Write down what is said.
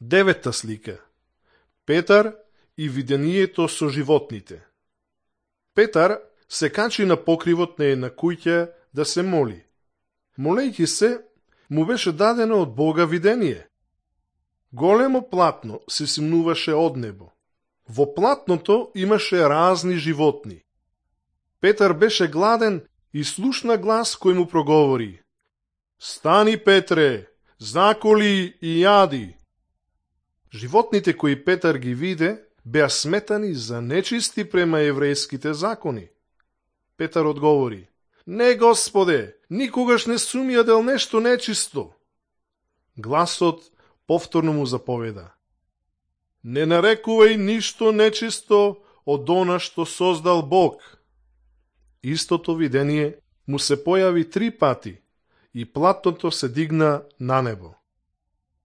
Девета слика. Петар и видението со животните. Петар се качи на покривот на една куќа да се моли. Молејќи се, му беше дадено од Бога видение. Големо платно се симнуваше од небо. Во платното имаше разни животни. Петар беше гладен и слушна глас кој му проговори: "Стани, Петре, заколи и јади." Животните кои Петар ги виде беа сметани за нечисти према еврејските закони. Петар одговори: "Не, Господе, никогаш не сум јадел нешто нечисто." Гласот повторно му заповеда: "Не нарекувај ништо нечисто од она што создал Бог." Истото видение му се појави 3 пати и платното се дигна на небо.